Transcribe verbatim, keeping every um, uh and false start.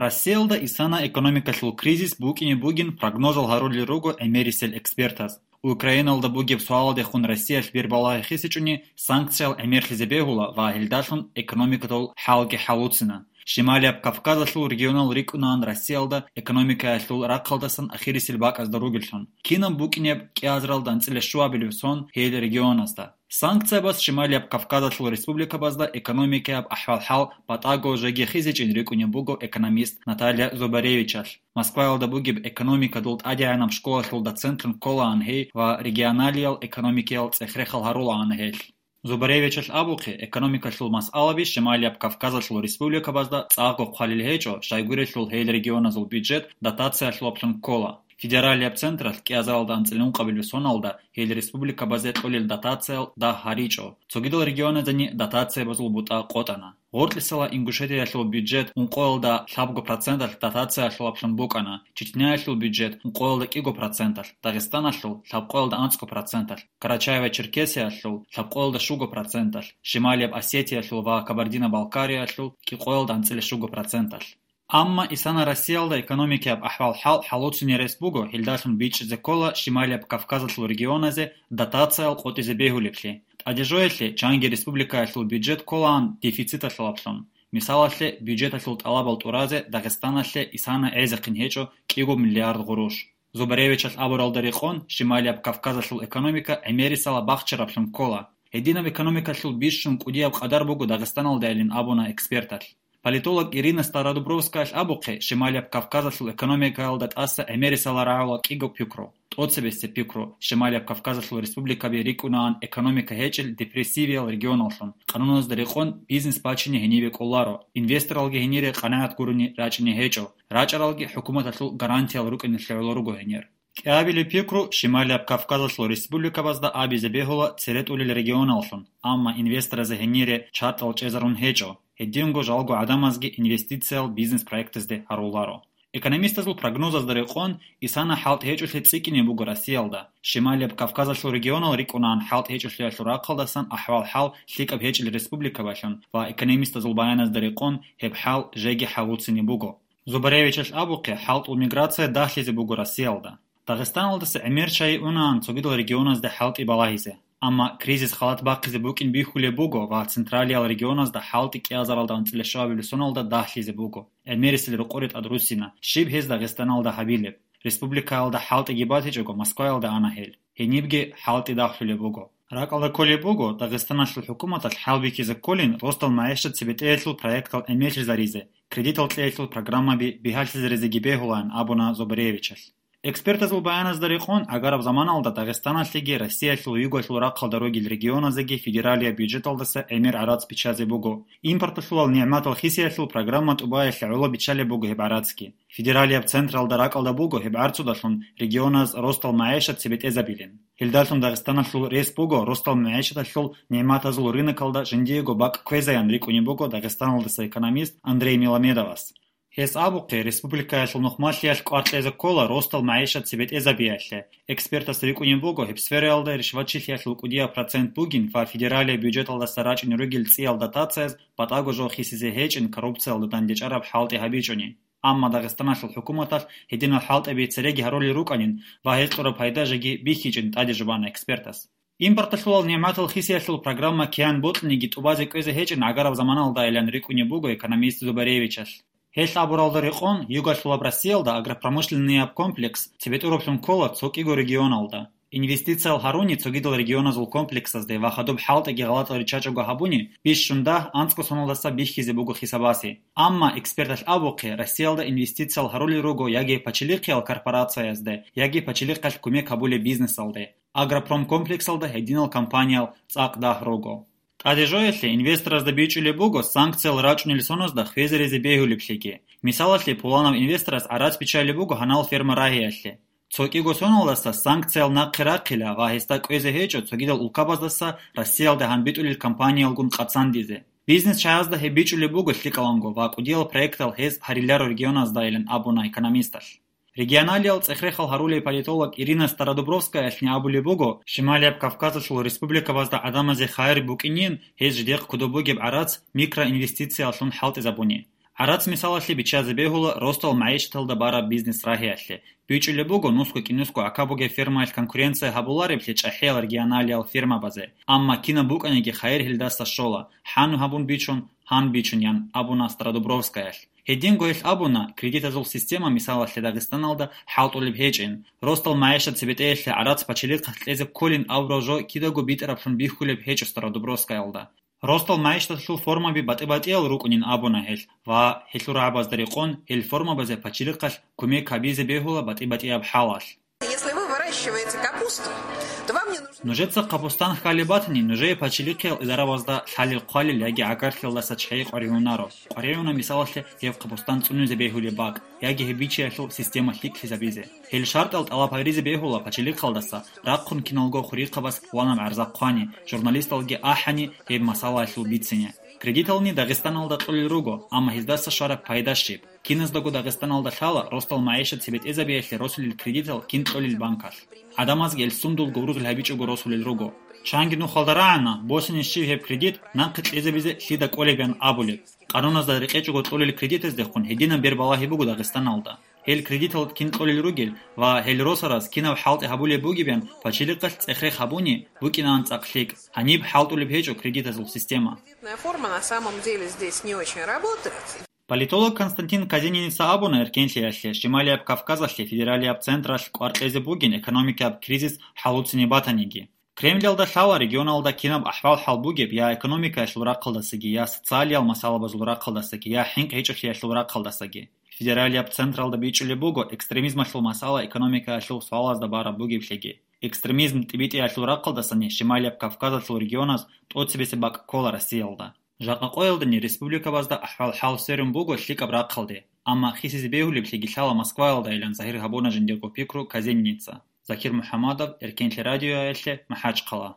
Россиялда исана экономикалъул кризис букӀине бугин прогнозал гьарулел руго гӀемерисел экспертаз. Украиналда бугеб суалдехун Россиялъ бербалагьи хисичӀони, санкциял гӀемерлъизе бегьула ва гьелдалъун экономикадул хӀалги хӀалуцина. Шималияб Кавказалъул регионал рикӀкӀунаан Россиялда экономикаялъул рахъалдасан ахирисел бакӀазда ругеллъун. Кинаб букӀинеб кӀиазаралда анцӀила щуабилеб сон гьел регионазда? Санкциябас Шималияб Кавказалъул республикабазда экономикаяб ахӀвал-хӀал батӀаго жеги хисичӀин рикӀкӀунеб буго экономист Наталья Зубаревичалъ. Москваялда бугеб экономикадул тӀадегӀанаб школалъул доцентлъун кколаан гьей ва регионалиял экономикиял цӀех-рехал гьарулаан гьелъ. Зубаревичалъ абухъе, экономикалъул масъалаби Шималияб Кавказалъул республикабазда цӀакъго хъвалил гьечӀо, щайгурелъул гьел регионазул бюджет дотациялъулаблъун ккола. Федералияб централъ кӀиазаралда анцӀила ункъабилеб соналда гьел республикабазе кьолел дотациял дагь гьаричӀо. Цогидал регионаздани дотациябазул бутӀа къотӀана. Гъоркьисала Ингушетиялъул бюджет ункъоялда лъабго проценталъ дотациялъулаблъун букӀана, Чечняялъул бюджет ункъоялда кӀиго проценталъ, Дагъистаналъул лъабкъоялда анцӀго проценталъ, Карачаево-Черкесиялъул лъабкъоялда щуго проценталъ, Шималияб Осетиялъул ва Кабардино-Балкариялъул кӀикъоялда анцӀила щуго проценталъ. Амма исана Россиялда экономикаяб ахӀвал-хӀал хӀалуциней рес буго, гьелдалъун бичӀчӀизе ккола Шималияб Кавказалъул регионазе дотациял къотӀизе бегьулеблъи. ТӀадежоялъе чанги республикаялъул бюджет кколаан дефициталъулаблъун. Мисалалъе, бюджеталъул тӀалабал тӀуразе Дагъистаналъе исана гӀезехъин гьечӀо кӀиго миллиард гъуруш. Зубаревичалъ абуралда рекъон, Шималияб Кавказалъул экономика гӀемерисала бахчараблъун ккола. Гьединаб экономикалъул бищун кӀудияб къадар буго Дагъистаналдайилан абуна эксперталъ. Политолог Ирина Стародубровскаялъ абухъе, Шималияб Кавказалъул экономикаялда тӀаса гӀемерисала рагӀула кӀиго пикру, тӀоцебесеб пикру: Шималияб Кавказалъул республикаби рикӀкӀунаан экономика гьечӀел депрессивиял регионаллъун, къануназда рекъон бизнес бачине гьенибе кӀоларо, инвесторалги гьенире къанагӀат гурони рачӀине гьечӀо, рачӀаралги хӀукуматалъул гарантиял рукӀиналъе гӀоло руго гьенир. КӀиабилеб пикру Шималияб Кавказалъул республикабазда абизе бегьула цере тӀолел регионаллъун, амма инвесторазе гьенире чартӀал чӀезарун гьечӀо, гьединго жалго гӀадамазги инвестициял бизнес-проектазде гьаруларо. Экономистазул прогнозазда рекъон, исана хӀалтӀи гьечӀолъи цӀикӀкӀине буго Россиялда. Шималияб Кавказалъул регионал рикӀкӀунаан хӀалтӀи гьечӀолъиялъул рахъалдасан ахӀвал-хӀал лъикӀаб гьечӀел республикабалъун ва экономистазул баяназда рекъон гьеб хӀал жеги хӀалуцине буго. Зубаревичалъ абухъе, хӀалтӀул миграция дагьлъизе буго Россиялда. Дагъистаналдаса гӀемер чагӀи унаан цогидал регионазда хӀалтӀи балагьизе. Амма кризис халат бахъизе букӀин бихьулеб буго ва централиял регионазда хӀалтӀи кӀиазаралда анцӀила щуабилеб соналда дагьлъизе буго. ГӀемерисел рокъоре тӀад руссина, щиб гьез Дагъистаналда гьабилеб. Республикаялда хӀалтӀиги батичӀого, Москваялда ана гьел. Гьенибги хӀалтӀи дагьлъулеб буго. РакӀалда кколеб буго, Дагъистаналъул хӀукуматалъ хӀалбихьизе кколин ростал магӀишат цебетӀеялъул проектал гӀемерлъизаризе, кредитал кьеялъул программаби бигьалъизаризеги бегьулаан абуна Зубаревичалъ. Экспертазул баяназда рекъон, гӀагараб заманалда Дагъистаналъеги Россиялъул югалъул рахъалда ругел регионазеги федералияб бюджеталдаса гӀемер гӀарац биччазе буго. Импорталъулал нигӀматал хисиялъул программа тӀубаялъе гӀоло биччалеб буго гьеб гӀарацги. Федералияб централда ракӀалда буго гьеб гӀарцудалъун регионаз ростал магӀишат цебетӀезабилин. Гьелдалъун Дагъистаналъул рес буго ростал магӀишаталъул нигӀматазул рынокалда жиндиего бакӀ кквезаян рикӀкӀунеб буго Дагъистаналдаса экономист Андрей Миламедовас. Гьес абухъе, республикаялъул нухмалъиялъ кӀвар кьезе ккола ростал магӀишат цебетӀезабиялъе. Экспертас рикӀкӀунеб буго гьеб сфераялда ришватчилъиялъул кӀудияб процент бугин ва федералияб бюджеталдаса рачӀине ругел цӀиял дотацияз батӀаго жо хисизе гьечӀин коррупциялда дандечӀараб хӀалтӀи гьабичӀони. Амма Дагъистаналъул хӀукуматалъ гьединал хӀалтӀаби цереги гьарулел рукӀанин ва гьез кьураб пайда жеги бихьичӀин тӀаде жубана экспертас. Импорталъулал нигӀматал хисиялъул программа киян бокьаниги тӀубазе кӀвезе гьечӀин гӀагараб заманалдайилан рикӀкӀунеб буго экономист Зубаревичалъ. Гьелъ абуралда рекъон, югалъулаб Россиялда агропромышленнияб комплекс цебетӀураблъун ккола цо кӀиго регионалда. Инвестициял гьаруни цогидал регионазул комплексазде ва хадуб хӀалтӀиги гъалатӀал риччачӀого гьабуни, бищун дагь анцӀго соналдаса бихьизе буго хисабасе. Амма эксперталъ абухъе, Россиялда инвестициял гьарулел руго яги пачалихъиял корпорациязде, яги пачалихъалъ кумек гьабулеб бизнесалде. Агропромkomплексалда гьединал компаниял цӀакъ дагь руго. ТӀаде жоялъе инвесторазда бичӀчӀулеб буго санкциял рачӀунел соназда хвезаризе бегьулеблъиги. Мисалалъе, пуланав инвесторас гӀарац биччалеб буго гьанал ферма рагьиялъе. Цо кӀиго соналдаса санкциял нахъе рахъила ва гьесда кӀвезе гьечӀо цогидал улкабаздаса Россиялда гьанбитӀулел компаниялгун къацандизе. Бизнес чагӀазда гьеб бичӀчӀулеб буго лъикӀаланго ва кӀудиял проектал гьез гьариларо регионаздайилан абуна экономисталъ. Регионалиял цӀех-рехал гьарулей политолог Ирина Стародубровскаялъни абулеб буго, Шималияб Кавказалъул республикабазда гӀадамазе хайир букӀинин, гьез жидехъ кодоб бугеб гӀарац микроинвестициялъун хӀалтӀизабуни. ГӀарац мисалалъе биччазе бегьула ростал магӀишаталда бараб бизнес рагьиялъе. БичӀчӀулеб буго нусго-кӀинусго гӀака бугеб фермаялъ конкуренция гьабулареблъи чӀахӀиял регионалиял фермабазе, амма кинаб букӀаниги хайир гьелдаса щола, хӀанб гьабун бичун, гьанб бичун, ян абуна Стародубровскаялъ. Гьединго гьелъ абуна, кредитазул система мисалалъе Дагъистаналда хӀалтӀулеб гьечӀин. Ростал магӀишат цебетӀеялъе гӀарац пачалихъалъ кьезе кколин абураб жо кидаго битӀараблъун бихьулеб гьечӀо Стародубровскаялда. Ростал магӀишаталъул формаби батӀи-батӀиял рукӀунин абуна гьелъ ва гьелъул рагӀабазда рекъон гьел формабазе пачалихъалъ кумек гьабизе бегьула батӀи-батӀияб хӀалалъ. Если вы выращиваете капусту, то вам не нужно... Нужеца капустан хьалеб батани, нужее пачалихъиял идарабазда лъалел-хъвалел яги гӀагарлъиялдаса чагӀи къваригӀунаро. КъваригӀуна, мисалалъе, гьеб капустан цӀунизе бегьулеб бакӀ яги гьеб бичиялъул система лъикӀлъизабизе. Гьел шартӀал тӀалаб гьаризе бегьула пачалихъалдаса, рахъун киналго хурихъабаз ванаб гӀарза хъвани, журналисталги ахӀани гьеб масъалаялъул бицине. Кредитални Дагъистаналда кьолел руго, амма гьездаса щвараб пайда щиб? Киназдаго Дагъистаналда лъала ростал магӀишат цебетӀезабиялъе росулел кредитал кин кьолел банкалъ. ГӀадамазги гьел сундулго ургъел гьабичӀого росулел руго. Чанги нухалда рагӀана, босине щиб гьеб кредит нахъе кьезабизе лъида кӀолеб ян абулеб. Къануназда рекъечӀого кьолел кредитаздехун гьединаб бербалагьи буго Дагъистаналда. Гьел кредитал кин кьолел ругел ва гьел росараз кинаб хӀалтӀи гьабулеб бугеб ян пачалихъалъ цӀех-рех гьабуни букӀинаан цӀакъ лъикӀ. Гьаниб хӀалтӀулеб гьечӀо кредитазул система. Кредитная форма на самом деле здесь не очень работает. Политолог Константин Казениница абуна, эркенлъиялъе, Шималияб Кавказалъе федералияб централъ кӀвар кьезе бугин экономикаяб кризис хӀалуцине батаниги. Кремльалда лъала регионалда кинаб ахӀвал-хӀал бугеб я экономикаялъул рахъалдасаги, я социалиял масъалабазул рахъалдасаги, я хӀинкъи гьечӀолъиялъул рахъалдасаги. Федералияб централда бичӀчӀулеб буго экстремизмалъул масъала экономикаялъул суалазда бараб бугеблъиги. Экстремизм тӀибитӀиялъул рахъалдасани Шималияб Кавказалъул регионаз тӀоцебесеб бакӀ ккола Россиялда. Жакъа къоялдани республикабазда ахӀвал-хӀал сверун буго лъикӀаб рахъалде, амма хисизе бегьулеблъиги лъала Москваялдайилан загьир гьабуна жиндирго пикру Казениница. Закир МухӀамадов, Эркенлъи радиоялъе, МахӀачхъала.